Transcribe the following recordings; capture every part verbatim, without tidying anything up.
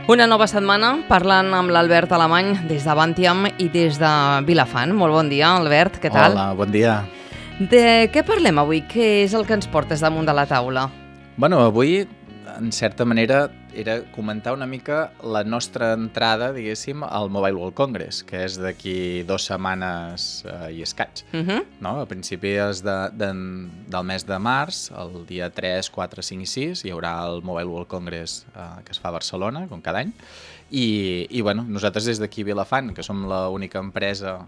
Una nova setmana parlant amb l'Albert Alemany des de Bantiam i des de Vilafant. Molt bon dia, Albert, què tal? Hola, bon dia. De què parlem avui? Què és el que ens portes damunt de la taula? Bueno, avui, en certa manera, era comentar una mica la nostra entrada, diguéssim, al Mobile World Congress, que és d'aquí dues setmanes eh, i escaig. Uh -huh. No? A principis de, de, del mes de març, el dia tres, quatre, cinc i sis, hi haurà el Mobile World Congress eh, que es fa a Barcelona, com cada any. I, i bueno, nosaltres des d'aquí a Vilafant, que som l'única empresa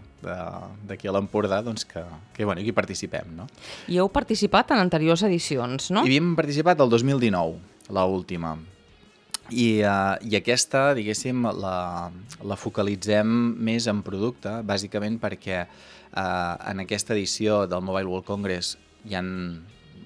d'aquí a l'Empordà, doncs que, que, bueno, hi participem. No? I heu participat en anteriors edicions, no? Hi havíem participat el dos mil dinou, l'última. I, uh, I aquesta, diguéssim, la, la focalitzem més en producte, bàsicament perquè uh, en aquesta edició del Mobile World Congress hi ha,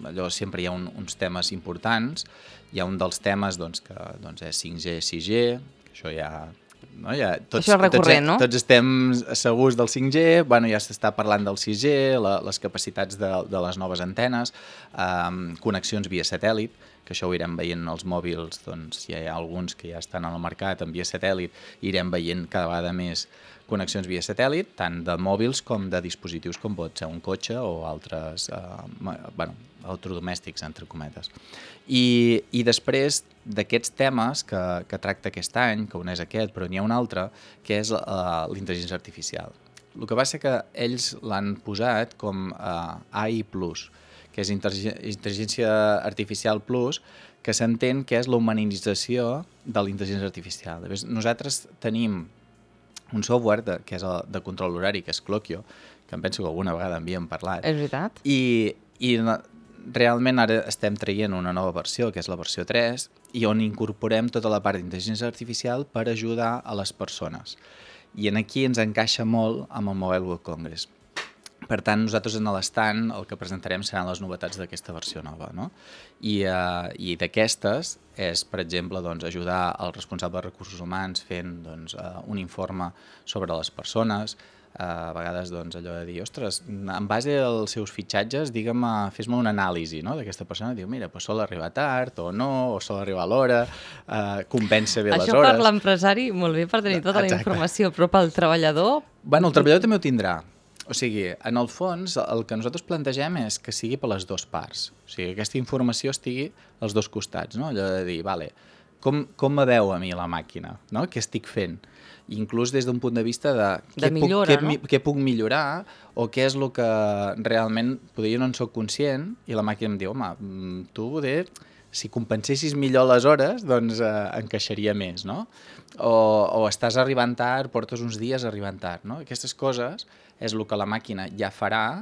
allò, sempre hi ha un, uns temes importants. Hi ha un dels temes doncs, que doncs, és cinc G, sis G, que això ja... No? Ja tots, això és recurrent, tots, no? Tots estem segurs del cinc G, bueno, ja s'està parlant del sis G, la, les capacitats de, de les noves antenes, um, connexions via satèl·lit, que això ho irem veient en els mòbils, doncs ja hi ha alguns que ja estan al mercat en via satèl·lit, irem veient cada vegada més connexions via satèl·lit, tant de mòbils com de dispositius com pot ser un cotxe o altres, eh, bueno, electrodomèstics, entre cometes. I, i després d'aquests temes que, que tracta aquest any, que un és aquest, però n'hi ha un altre, que és uh, l'intel·ligència artificial. El que passa que ells l'han posat com uh, A I plus, que és intel·ligència artificial plus, que s'entén que és la humanització de la intel·ligència artificial. Nosaltres tenim un software de, que és el, de control horari, que és Clockio, que em penso que alguna vegada havíem parlat. És veritat. I, i realment ara estem traient una nova versió, que és la versió tres, i on incorporem tota la part d'intel·ligència artificial per ajudar a les persones. I en aquí ens encaixa molt amb el Mobile World Congress. Per tant, nosaltres en l'estand el que presentarem seran les novetats d'aquesta versió nova. No? I, uh, i d'aquestes és, per exemple, doncs, ajudar el responsable de recursos humans fent doncs, uh, un informe sobre les persones, Uh, a vegades doncs, allò de dir, ostres, en base als seus fitxatges, digue'm, fes-me una anàlisi, no?, d'aquesta persona. Diu, mira, pues sol arribar tard o no, o sol arribar a l'hora, uh, compensa bé les Això hores. per l'empresari, molt bé per tenir tota Exacte. La informació, però pel treballador... Bueno, el treballador també ho tindrà. O sigui, en el fons, el que nosaltres plantegem és que sigui per les dues parts. O sigui, que aquesta informació estigui als dos costats, no? Allò de dir, vale, com, com me veu a mi la màquina, no? Què estic fent? Inclús des d'un punt de vista de, de què, millora, puc, no? què, què puc millorar o què és el que realment potser jo no en soc conscient i la màquina em diu, home, tu poder, si compensessis millor les hores, doncs eh, encaixaria més, no? O, o estàs arribant tard, portes uns dies arribant tard, no? Aquestes coses és el que la màquina ja farà,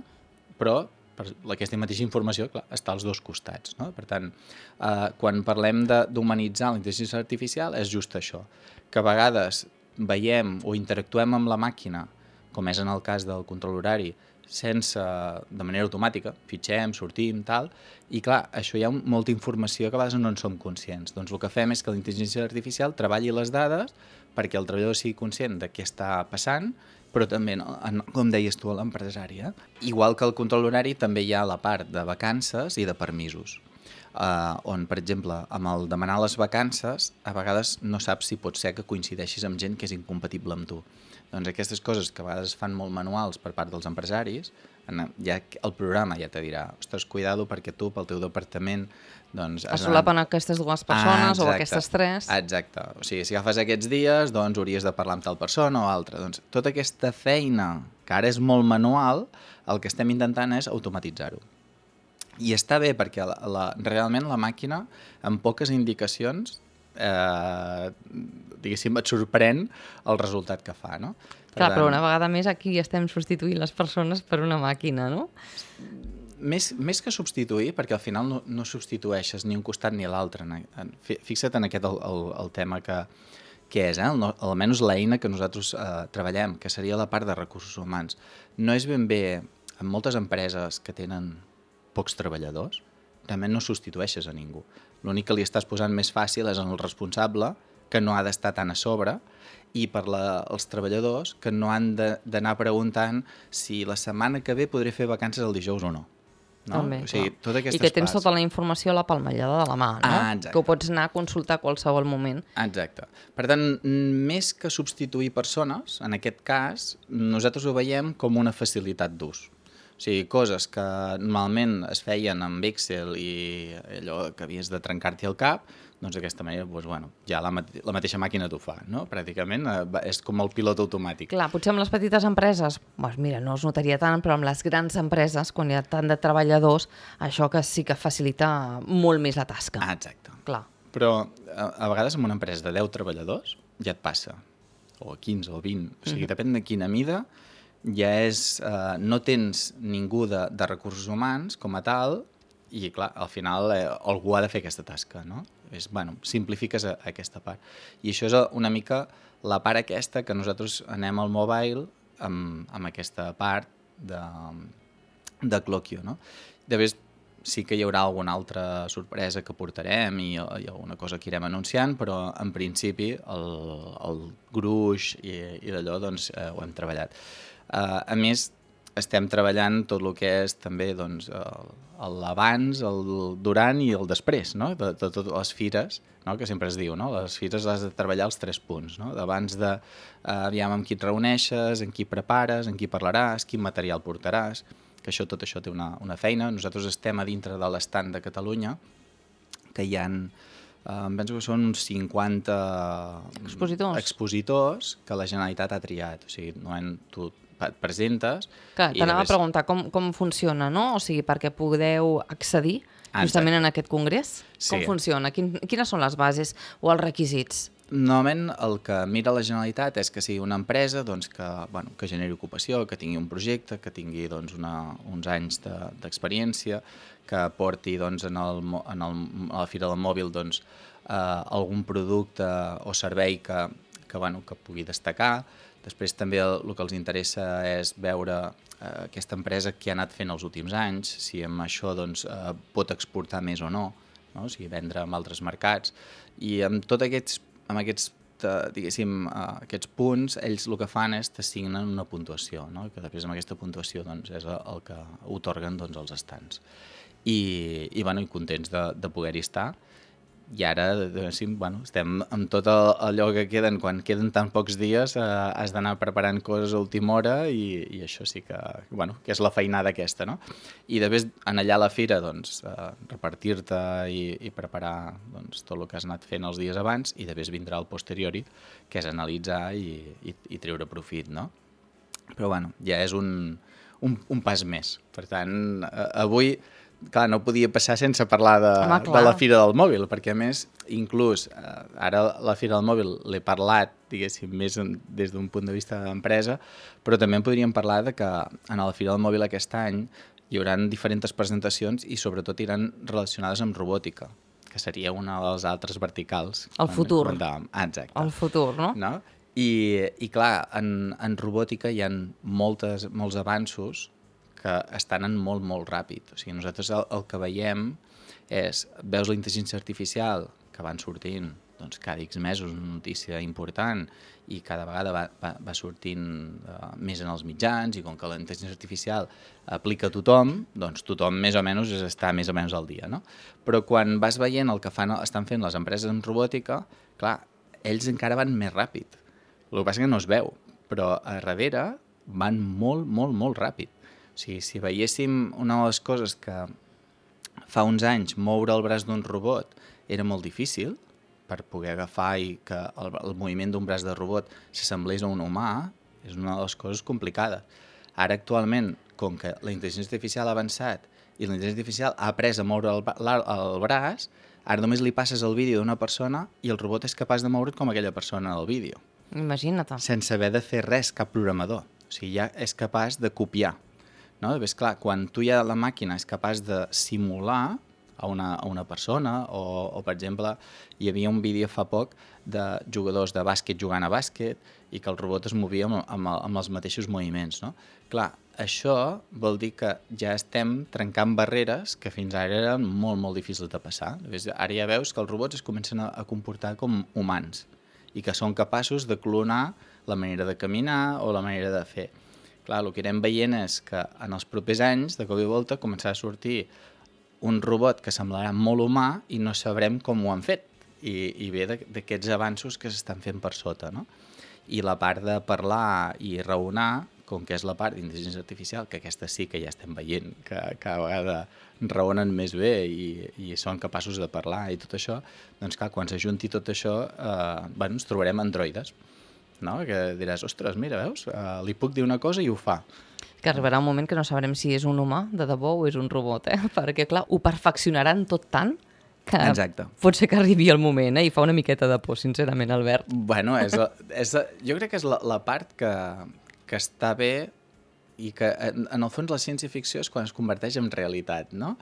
però per aquesta mateixa informació, clar, està als dos costats, no? Per tant, eh, quan parlem d'humanitzar la intel·ligència artificial és just això, que a vegades veiem o interactuem amb la màquina, com és en el cas del control horari, sense, de manera automàtica, fitxem, sortim, tal, i clar, això hi ha molta informació que a vegades no en som conscients. Doncs el que fem és que la intel·ligència artificial treballi les dades perquè el treballador sigui conscient de què està passant, però també, no, com deies tu, a l'empresari. Eh? Igual que el control horari, també hi ha la part de vacances i de permisos. Uh, on, per exemple, amb el demanar les vacances, a vegades no saps si pot ser que coincideixis amb gent que és incompatible amb tu. Doncs aquestes coses que a vegades es fan molt manuals per part dels empresaris, ja el programa ja te dirà, ostres, cuidado perquè tu, pel teu departament... Doncs, es solapen aquestes dues persones ah, o aquestes tres. Exacte. O sigui, si agafes aquests dies, doncs hauries de parlar amb tal persona o altra. Doncs tota aquesta feina, que ara és molt manual, el que estem intentant és automatitzar-ho. I està bé perquè la, la, realment la màquina, amb poques indicacions, eh, diguéssim, et sorprèn el resultat que fa, no? Per Clar, tant, però una vegada més aquí estem substituint les persones per una màquina, no? Més, més que substituir, perquè al final no, no substitueixes ni un costat ni l'altre. Fixa't en aquest el, el, el tema que, que és, eh? el, almenys l'eina que nosaltres eh, treballem, que seria la part de recursos humans. No és ben bé, en moltes empreses que tenen pocs treballadors, realment no substitueixes a ningú. L'únic que li estàs posant més fàcil és en el responsable, que no ha d'estar tan a sobre, i per la, els treballadors, que no han d'anar preguntant si la setmana que ve podré fer vacances el dijous o no. no? També, O sigui, clar. totes aquestes I que tens parts. tota la informació a la palmellada de la mà, no? Ah, exacte. Que ho pots anar a consultar a qualsevol moment. Exacte. Per tant, més que substituir persones, en aquest cas, nosaltres ho veiem com una facilitat d'ús. O sigui, coses que normalment es feien amb Excel i allò que havies de trencar-t'hi el cap, doncs d'aquesta manera, doncs, bueno, ja la, mate la mateixa màquina t'ho fa, no? Pràcticament eh, és com el pilot automàtic. Clar, potser amb les petites empreses, doncs mira, no es notaria tant, però amb les grans empreses, quan hi ha tant de treballadors, això que sí que facilita molt més la tasca. Ah, exacte. Clar. Però a, a vegades en una empresa de deu treballadors ja et passa, o quinze o vint, o sigui, mm-hmm. depèn de quina mida, ja és, eh, no tens ningú de, de recursos humans com a tal, i clar, al final eh, algú ha de fer aquesta tasca, no? És, bueno, simplifiques a, a aquesta part. I això és una mica la part aquesta que nosaltres anem al mobile amb, amb aquesta part de, de Clockio, no? Després sí que hi haurà alguna altra sorpresa que portarem i, i alguna cosa que irem anunciant, però en principi el, el gruix i, i d'allò doncs, eh, ho hem treballat. Uh, a més, estem treballant tot el que és també doncs, l'abans, el durant i el després, no? de, de totes les fires, no? Que sempre es diu, no? Les fires has de treballar els tres punts, no? D'abans de, uh, aviam amb qui et reuneixes, amb qui prepares, amb qui parlaràs, quin material portaràs, que això, tot això té una, una feina. Nosaltres estem a dintre de l'estand de Catalunya, que hi ha, uh, em penso que són uns cinquanta expositors. expositors que la Generalitat ha triat, o sigui, no en, tu et presentes... Clar, t'anava després... a preguntar com, com funciona, no? O sigui, perquè podeu accedir justament en aquest congrés. Sí. Com funciona? Quin, quines són les bases o els requisits? Normalment el que mira la Generalitat és que sigui una empresa doncs, que, bueno, que generi ocupació, que tingui un projecte, que tingui doncs, una, uns anys d'experiència, de, que porti doncs, en, el, en el, a la Fira del Mòbil doncs, eh, algun producte o servei que, que, bueno, que pugui destacar. Després també el, el que els interessa és veure eh, aquesta empresa que ha anat fent els últims anys, si amb això doncs, eh, pot exportar més o no, no? O sigui, vendre en altres mercats. I amb tots aquests, amb aquests, eh, diguéssim, eh, aquests punts, ells el que fan és t'assignen una puntuació, no? Que després amb aquesta puntuació doncs, és el que otorguen doncs, els estants. I, i, bueno, i contents de, de poder-hi estar. I ara bueno, estem amb tot allò que queden, quan queden tan pocs dies, eh, has d'anar preparant coses a última hora i, i això sí que, bueno, que és la feinada aquesta, no? I després, en allà a la fira, doncs, eh, repartir-te i, i preparar doncs, tot el que has anat fent els dies abans i després vindrà el posteriori, que és analitzar i, i, i treure profit, no? Però, bueno, ja és un, un, un pas més. Per tant, eh, avui... Clar, no podia passar sense parlar de, Home, de la Fira del Mòbil, perquè a més, inclús, eh, ara la Fira del Mòbil l'he parlat, diguéssim, més en, des d'un punt de vista d'empresa, però també en podríem parlar de que en la Fira del Mòbil aquest any hi haurà diferents presentacions i sobretot iran relacionades amb robòtica, que seria una de les altres verticals. El futur. Ah, exacte. El futur, no? no? I, i clar, en, en robòtica hi ha moltes, molts avanços que estan en molt, molt ràpid. O sigui, nosaltres el, el que veiem és, veus la intel·ligència artificial que van sortint doncs, cada X mesos, una notícia important, i cada vegada va, va, va sortint uh, més en els mitjans, i com que la intel·ligència artificial aplica a tothom, doncs tothom més o menys està més o menys al dia, no? Però quan vas veient el que fan, estan fent les empreses en robòtica, clar, ells encara van més ràpid. El que passa és que no es veu, però a darrere van molt, molt, molt ràpid. O sigui, si veiéssim una de les coses que fa uns anys moure el braç d'un robot era molt difícil per poder agafar i que el, el moviment d'un braç de robot s'assemblés a un humà, és una de les coses complicades. Ara actualment, com que la intel·ligència artificial ha avançat i la intel·ligència artificial ha après a moure el, el, el braç, ara només li passes el vídeo d'una persona i el robot és capaç de moure't com aquella persona del vídeo. Imagina't. Sense haver de fer res, cap programador. O sigui, ja és capaç de copiar. No? Ves, clar, quan tu ja la màquina és capaç de simular a una, a una persona o, o, per exemple, hi havia un vídeo fa poc de jugadors de bàsquet jugant a bàsquet i que el robot es movia amb, amb, amb els mateixos moviments. No? Clar, això vol dir que ja estem trencant barreres que fins ara eren molt, molt difícils de passar. Ves, ara ja veus que els robots es comencen a, a comportar com humans i que són capaços de clonar la manera de caminar o la manera de fer. Clar, el que anem veient és que en els propers anys, de cop i volta, començarà a sortir un robot que semblarà molt humà i no sabrem com ho han fet. I, i ve d'aquests avanços que s'estan fent per sota, no? I la part de parlar i raonar, com que és la part d'intel·ligència artificial, que aquesta sí que ja estem veient, que cada vegada raonen més bé i, i són capaços de parlar i tot això, doncs clar, quan s'ajunti tot això, eh, bueno, ens trobarem androides, no? Que diràs, ostres, mira, veus? Eh, li puc dir una cosa i ho fa. Que arribarà un moment que no sabrem si és un humà de debò o és un robot, eh? Perquè, clar, ho perfeccionaran tot tant que Exacte. pot ser que arribi el moment, eh? I fa una miqueta de por, sincerament, Albert. Bueno, és la, és la, jo crec que és la, la part que, que està bé i que, en, en el fons, la ciència-ficció és quan es converteix en realitat, no?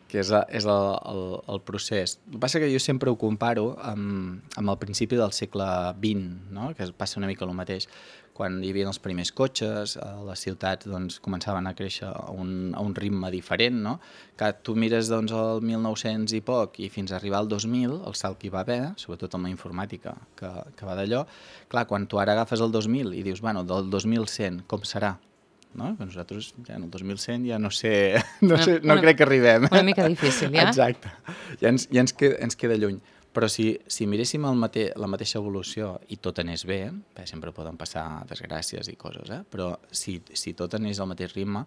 Que és, a, és el, el, el procés. El que passa que jo sempre ho comparo amb, amb el principi del segle vint, no? Que passa una mica el mateix. Quan hi havia els primers cotxes, les ciutats doncs, començaven a créixer a un, a un ritme diferent, no? Que tu mires doncs, el mil nou-cents i poc i fins a arribar al dos mil, el salt que hi va haver, sobretot amb la informàtica que, que va d'allò, clar, quan tu ara agafes el dos mil i dius, bueno, del dos mil cent com serà? No? Que nosaltres ja en el dos mil cent ja no sé, no, sé, no una, crec que arribem. Una mica difícil, ja? Exacte, ja ens, ja ens, queda, ens queda lluny. Però si, si miréssim el mate, la mateixa evolució i tot anés bé, bé, sempre poden passar desgràcies i coses, eh? Però si, si tot anés al mateix ritme,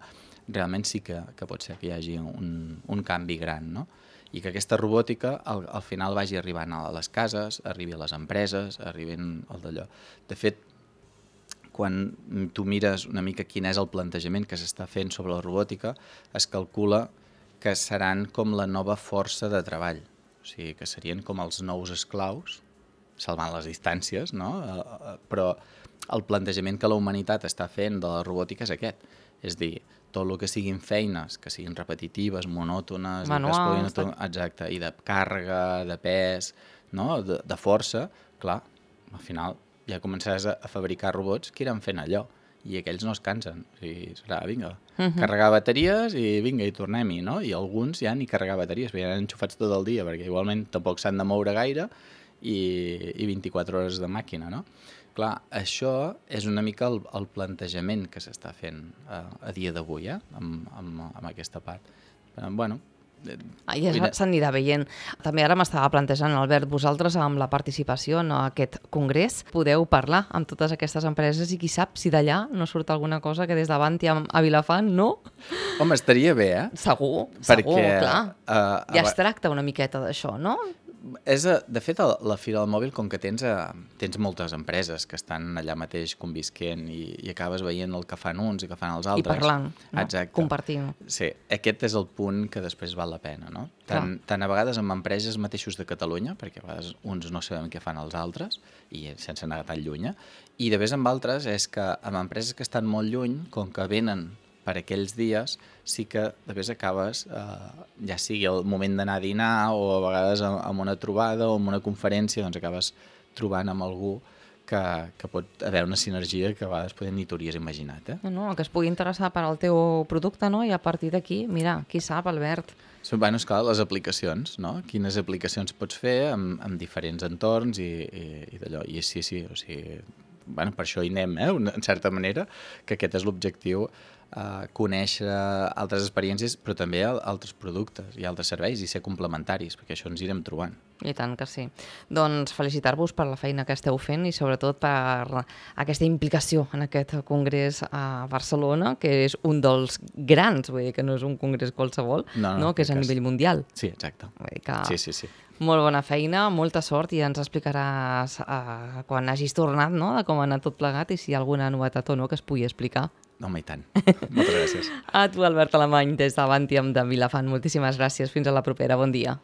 realment sí que, que pot ser que hi hagi un, un canvi gran, no? I que aquesta robòtica al, al final vagi arribant a les cases, arribi a les empreses, arribin al d'allò. De fet, quan tu mires una mica quin és el plantejament que s'està fent sobre la robòtica, es calcula que seran com la nova força de treball. O sigui, que serien com els nous esclaus, salvant les distàncies, no? Però el plantejament que la humanitat està fent de la robòtica és aquest. És dir, tot el que siguin feines, que siguin repetitives, monòtones, manuals, i, que es exacte, i de càrrega, de pes, no? de, de força, clar, al final ja començaràs a, a fabricar robots que iran fent allò. I aquells no es cansen. O sigui, serà, vinga, uh-huh. carregar bateries i vinga, i tornem-hi, no? I alguns ja ni carregar bateries, perquè ja han enxufats tot el dia, perquè igualment tampoc s'han de moure gaire i, i vint-i-quatre hores de màquina, no? Clar, això és una mica el, el plantejament que s'està fent a, a dia d'avui, eh? Amb, amb, amb aquesta part. Però, bueno... Ah, ja s'anirà veient. També ara m'estava plantejant, Albert, vosaltres amb la participació en aquest congrés podeu parlar amb totes aquestes empreses i qui sap si d'allà no surt alguna cosa que des davant hi ha a Vilafant, no? Home, estaria bé, eh? Segur, perquè, segur, clar. Uh, ja es tracta una miqueta d'això, no? És a, de fet, a la Fira del Mòbil, com que tens, a, tens moltes empreses que estan allà mateix convisquent i, i acabes veient el que fan uns i que fan els altres. I parlant, no? Exacte. Compartint. Sí, aquest és el punt que després val la pena, no? Tant, tant a vegades amb empreses mateixos de Catalunya, perquè a vegades uns no sabem què fan els altres, i sense anar tan lluny, i de vegades amb altres és que amb empreses que estan molt lluny, com que venen per aquells dies, sí que de vegades acabes, eh, ja sigui el moment d'anar a dinar o a vegades en una trobada o en una conferència, doncs acabes trobant amb algú que, que pot haver una sinergia que a vegades poder ni t'hauries imaginat. Eh? No, que es pugui interessar per al teu producte, no? I a partir d'aquí, mira, qui sap, Albert. Bueno, esclar, les aplicacions, no? Quines aplicacions pots fer amb, amb diferents entorns i, i, i d'allò. I sí, sí, o sigui, bueno, per això hi anem, eh? En certa manera, que aquest és l'objectiu, Uh, conèixer altres experiències, però també altres productes i altres serveis i ser complementaris, perquè això ens irem trobant. I tant que sí. Doncs felicitar-vos per la feina que esteu fent i sobretot per aquesta implicació en aquest congrés a Barcelona, que és un dels grans, vull dir que no és un congrés qualsevol, no, no, no? que és a nivell mundial. Sí, exacte. Vull dir que... Sí, sí, sí. Molt bona feina, molta sort i ens explicaràs uh, quan hagis tornat, no?, de com ha anat tot plegat i si hi ha alguna novetat o no que es pugui explicar. Home, i tant. Moltes gràcies. A tu, Albert Alemany, des d'Avantium de Vilafant. Moltíssimes gràcies. Fins a la propera. Bon dia.